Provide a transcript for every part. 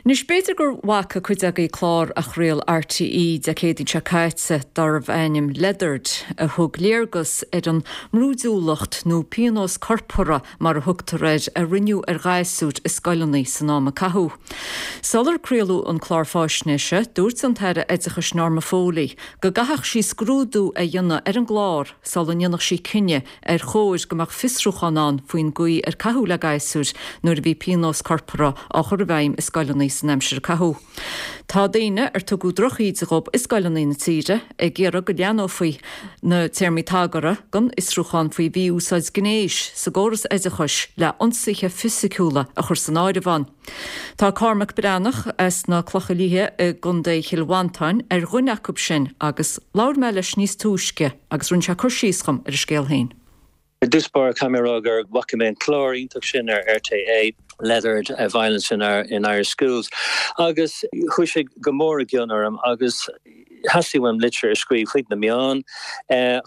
Anois, b'fhéidir go bhfaca cuid agaibh clár a chraol RTÉ Dé Céadaoin seo caite darbh ainm Leathered, a thug léargas ar an mbrúidiúlacht, nó pionós corpartha mar a thugtar air, a rinneadh ar ghasúir i scoileanna san am a caitheadh. Sular craoladh an clár fáisnéise, dúirt an tAire Oideachais Norma Foley go gcaithfeadh sí scrúdú a dhéanamh ar an gclár sula ndéanfadh sí cinneadh ar chóir go mbeadh fiosrúchán ann faoin gcaoi ar caitheadh le gasúir nuair a bhí pionós corpartha á chur i bhfeidhm i scoileanna san aimsir a caitheadh. Tá daoine ar tugadh drochíde dhóibh i scoileanna na tíre ag iarraidh go leathnófaí na téarmaí tagartha don fhiosrúchán faoi mhí-úsáid gnéis sa gcóras oideachais le ionsaithe fisiciúla a chur san áireamh ann. Tá Cormac Breathnach as na Clocha Liatha i gContae Chill Mhantáin ar dhuine acu sin agus labhair mé leis níos túisce agus rinne sé cur síos dhom ar a scéal féin. I dtús báire caithfidh mé a rá gur bhfaca mé an clár iontach sin ar RTÉ, Leathered, Violence in Irish Schools, agus chuaigh sé go mór i gcion orm agus theastaigh uaim litir a scríobh chuig na meáin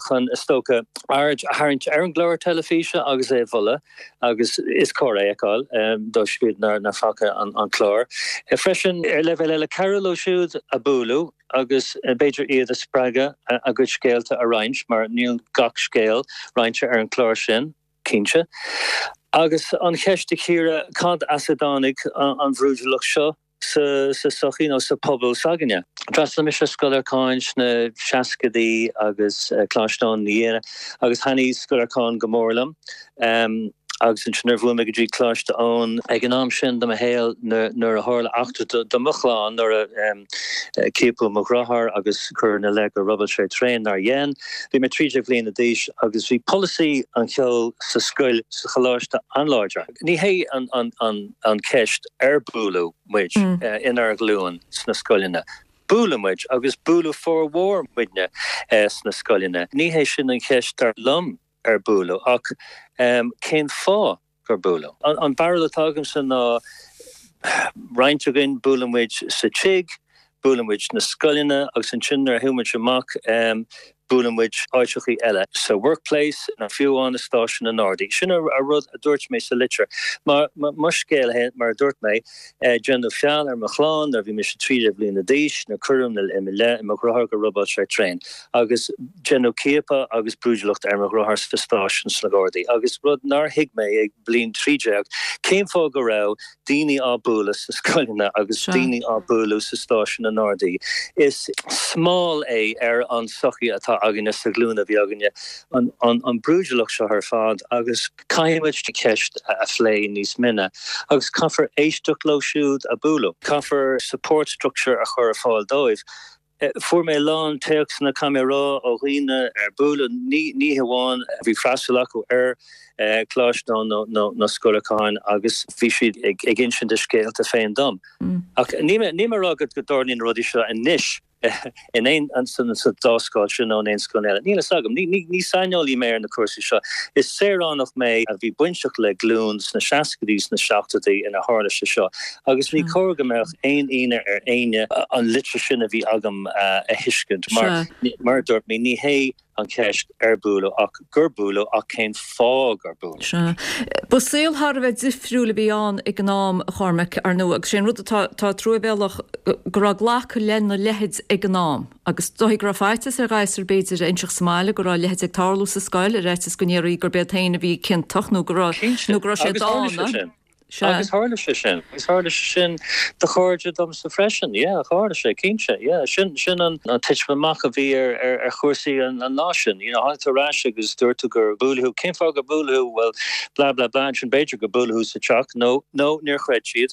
chun, is dócha, aird a tharraingt ar an gclár teilifíse agus é a mholadh. agus is cóir é a fheiceáil dóibh siúd nár faca an clár. Freisin, ar leibhéal eile, cabhrú leo siúd a buaileadh agus b'fhéidir iad a spreagadh a gcuid scéalta a roinnt, mar níl gach scéal roinnte ar an chlár sin, cinnte. Agus an cheist a chíoradh, cad as a dtáinig an bhrúidiúlacht seo? sa tsochaí nó sa phobal s'againne. D'fhreastail mise ar Scoil Lorcáin sna seascadaí agus Coláiste Eoin ina dhiaidh agus thaitnigh Scoil Lorcáin go mór liom. Agus ansin nuair a bhuail mé go dtí Coláiste Eoin ag an am sin de mo shaol nuair a tharla eachtra do mo chlann nuair a ciapadh mo dheartháir agus cuireadh ina leith gur robáil sé traein nár dhein. Bhí mé 13 bhliana d'aois agus bhí polasaí an cheoil sa scoil, sa choláiste an-láidir. Ní hé an cheist ar buaileadh muid inár nglúin sna scoileanna. Buaileadh muid agus buaileadh formhór muidne sna scoileanna. Ní hé sin an cheist dar liom ar buaileadh ach cén fáth gur buaileadh. An barúil atá agamsa ná roinnt againn, buaileann muid sa tigh, buaileann muid sna scoileanna agus ansin nuair a théann muid amach buaileann muid áiteachaí eile, sa workplace nó fiú amháin i stáisiún na nGardaí. Sin an rud a dúirt mé sa litir. Mar mo scéal féin, mar a dúirt mé, déanadh feall ar mo chlann nuair a bhí mise 13 bliana d'aois, nuair cuireadh i mo leith i mo dheartháir gur robáil sé traein agus déanadh ciapadh agus brúidiúlacht ar mo dheartháir sa stáisiún sna Gardaí agus rud nár thuig mé ag bliain 13, cén fáth go raibh daoine á bualadh sna scoileanna agus daoine á bualadh sa stáisiún na nGardaí. Is smál é ar an tsochaí atá againne sa ghlúin a bhí againne, an brúidiúlacht seo ar fad agus caithfidh muid an cheist a phlé níos mine agus caithfear éisteacht leo siúd a buaileadh. Caithfear support structure a chur ar fáil dóibh. Fuair mé a lán téacsanna, caithfidh mé a rá, ó dhaoine ar buaileadh, ní hamháin a bhí freastal acu ar Choláiste Eoin nó Scoil Lorcáin agus bhí siad ag insint a scéalta féin dom. Ach níl mé ag rá go dtarlaíonn na rudaí seo anois in aon, sa dá scoil sin nó in aon scoil eile. Níl a fhios agam. Ní saineolaí mé ar na cúrsaí seo. Is saoránach mé a bhí bainteach le glúin sna seascaidí, sna seachtóidí ina tharla sé seo agus ní cóir go mbeadh aon ionadh ar éinne an litir sin a bhí agam a thuiscint mar, mar a dúirt mé, ní hé an cheist ar buaileadh ach gur buaileadh ach cén fáth gur buaileadh. Sea. Ba saol thar a bheith difriúil a bhí ann ag an am, a Chormaic, ar ndóigh, agus sé an rud atá, atá truamhéalach go raibh glacadh lena leithéid ag an am agus dóigh go raibh faitíos ar ghasúir b'fhéidir a inseacht sa mbaile go raibh a leithéid ag tarlú sa scoil ar fhaitíos go ndéarfaí gurb iad féin a bhí ciontach nó go raibh, nó go raibh sé Cinnte. Agus tharla sé dána. sin. Sea. Agus tharla sé sin. Agus tharla sé sin do chairde domsa freisin. Yeah, tharla sé, cinnte. Yeah, sin, sin an titim amach a bhí ar, ar, ar chúrsaí an, an lá sin. You know, tháinig tú ar ais agus dúirt tú gur buaileadh thú. Cén fáth gur buaileadh thú? Bhuel, blah, blah, blah, ansin b'fhéidir gur buaileadh thú sa teach nó, nó níor chreid siad.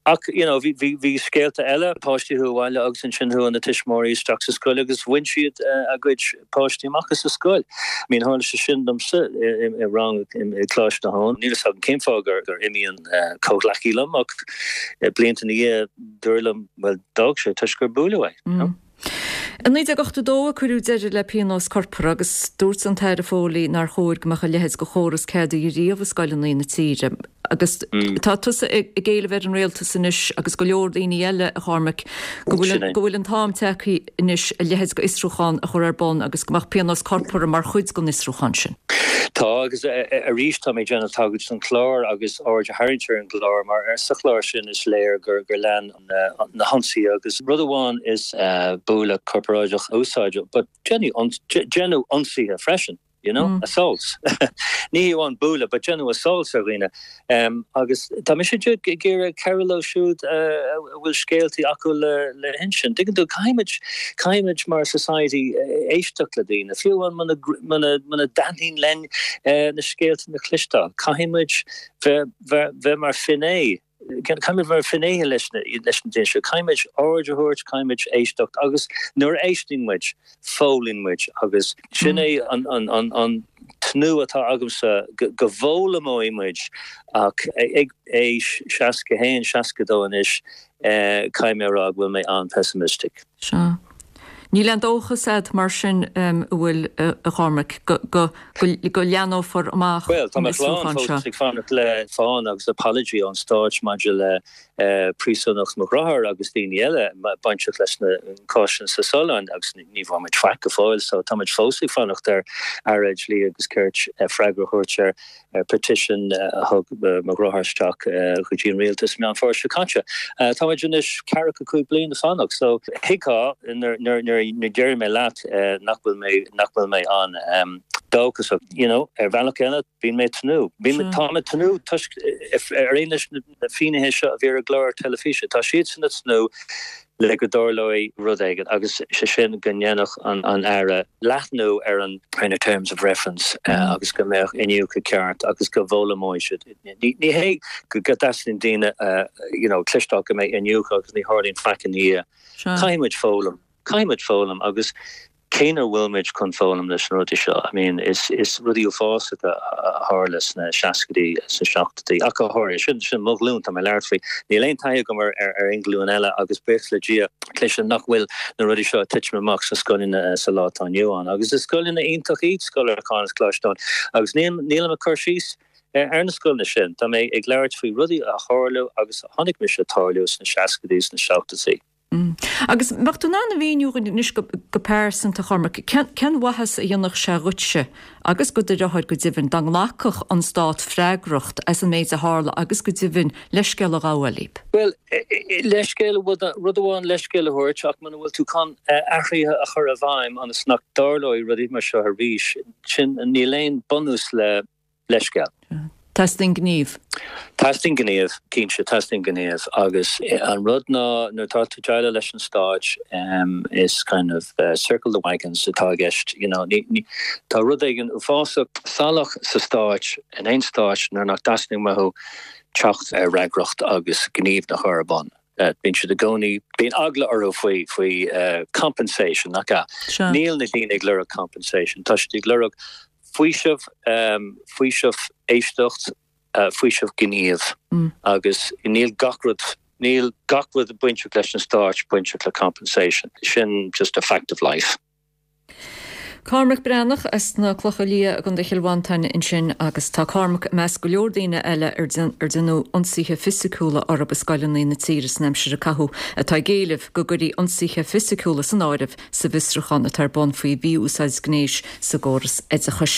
Ach, you know, bhí, bhí, bhí scéalta eile, páistí chuaigh abhaile agus ansin chuaigh na tuismitheoirí isteach sa scoil agus bhain siad a gcuid páistí amach as an scoil. I mean, tharla sé sin domsa i rang i gColáiste Eoin. Níl fhios agam cén fáth gur gur imigh an comhghleacaí liom ach blianta ina dhiaidh dúradh liom, bhuel, d'fhág sé toisc gur buaileadh é, you know. I 1982 a cuireadh deireadh le pionós corpartha agus dúirt an tAire Foley nár chóir go mbeadh a leithéid de chóras ceadaithe riamh i scoileanna na tíre. Agus tá tusa ag éileamh ar an rialtas anois agus go leor daoine eile, a Chormaic, go bhfuil go bhfuil an t-am tagtha anois a leithéid de fhiosrúchán a chur ar bun agus go mbeadh pionós corpartha mar chuid den fhiosrúchán sin. Tá, agus arís tá mé ag déanamh tagairt don chlár agus aird a tharraingt ar an gclár mar sa chlár sin is léir gur lean na hionsaithe agus rud amháin is bualadh corparáideach a úsáideadh but déanadh ionsaithe freisin, you know, assaults. Ní hé amháin bualadh but déanadh assaults ar dhaoine. Agus tá mise ag iarraidh cabhrú leo siúd a bhfuil scéaltaí acu le hinsint. Tuigeann tú, caithfimid, caithfimid mar society éisteacht le daoine, fiú amháin muna, muna dtaitníonn linn na scéalta a chloisteáil. Caithfimid bheith, bheith mar finné, caithfimid bheith mar finnéithe leis na, leis na daoine seo. Caithfimid aird a thabhairt, caithfimid éisteacht agus nuair a éisteann muid, foghlaimíonn muid agus sin é an tnúth atá agamsa go bhfoghlaimeoidh muid ach ag aois 61, 62 anois caithfidh mé a rá go bhfuil mé an-pessimistic. Sea. Níl aon dóchas agat mar sin, an bhfuil, a Chormaic, go leathnófar amach an fiosrúchán seo? Bhuel, tá mo chlann fós ag fanacht le fán agus apology ón stáit maidir le príosúnacht mo dhearthár agus daoine eile bainteach leis an cás sin sa Sualainn agus ní bhfuair muid faic go fóill so tá muid fós ag fanacht ar Aire Dlí agus Cirt freagra a thabhairt ar petition a thug mo dheartháir isteach go dtí an rialtas Meán Fómhair seo caite. Tá muid anois ceathracha 5 bliain ag fanacht so thuigfeá nuair a deir mé leat nach bhfuil mé nach bhfuil mé an-dóchasach you know ar bhealach eile bíonn mé ag tnúth. Tá mé ag tnúth toisc ar aon leis na Na finnéithe seo a bhí ar an gclár teilifíse, tá siadsan ag tnúth le go dtarlóidh rud éigin agus sé sin go ndéanfadh an Aire leathnú ar an ar na terms of reference agus go mbeadh iniúchadh ceart agus go bhfoghlaimeoidh siad. Ní hé go dteastaíonn daoine you know cloisteáil go mbeidh iniúchadh agus ní tharlaíonn faic ina dhiaidh. Caithfidh muid foghlaim. Caithfidh muid foghlaim agus cé nach bhfuil muid chun foghlaim leis na rudaí seo? I mean, is is rudaí uafásacha a tharla sna seascaidí, sna seachtóidí, ach go háirithe. Sin sin mo ghlúin, tá mé ag labhairt faoi. Níl aon taithí agam ar ar ar aon ghlúin eile agus buíochas le Dia, cloisim nach bhfuil na rudaí seo ag titim amach sna scoileanna sa lá atá inniu ann. Agus is scoileanna iontach iad Scoil Lorcáin agus Coláiste Eoin agus níl nílim ag cur síos ar na scoileanna sin. Tá mé ag labhairt faoi rudaí a tharla agus a chonaic mise ag tarlú sna seascaidí, sna seachtóidí. Agus mbeadh tú in ann a mhíniú dhúinn anois go pearsanta, a Chormaic, cén mhaitheas a dhéanfadh sé dhuitse, agus do do dheartháir go deimhin, dá nglacfadh an Stát freagracht as an méid a tharla agus go deimhin leithscéal a ghabháil libh? Bhuel, leithscéal, rud amháin leithscéal a thabhairt ach muna bhfuil tú chun athruithe a chur i bhfeidhm ionas nach dtarlóidh rudaí mar seo arís, sin, níl aon bunús le leithscéal. Teastaíonn gníomh. Teastaíonn gníomh, cinnte, teastaíonn gníomh agus an rud ná nuair atá tú ag déileáil leis an stáit is kind of circle the wagons atá i gceist, you know, ní, tá rud éigin uafásach salach sa stáit, in aon stáit nuair nach dteastaíonn uathu teacht ar fhreagracht agus gníomh a chur ar bun. Bíonn siad i gcónaí, bíonn eagla orthu faoi, faoi compensation, nach ea? Níl na daoine ag lorg compensation, tá siad ag lorg faoiseamh, faoiseamh éisteacht, faoiseamh gníomh agus níl gach rud, níl gach rud bainteach leis an stáit bainteach le compensation. Sin just a fact of life. Cormac Breathnach as na Clocha Liatha i gContae Chill Mhantáin ansin agus tá Cormac i measc go leor daoine eile ar déanadh ionsaithe fisiciúla orthu i scoileanna na tíre san aimsir a caitheadh atá ag éileamh go gcuirfí ionsaithe fisiciúla san áireamh sa bhfiosrúchán atá ar bun faoi mhí-úsáid gnéis sa gcóras oideachais.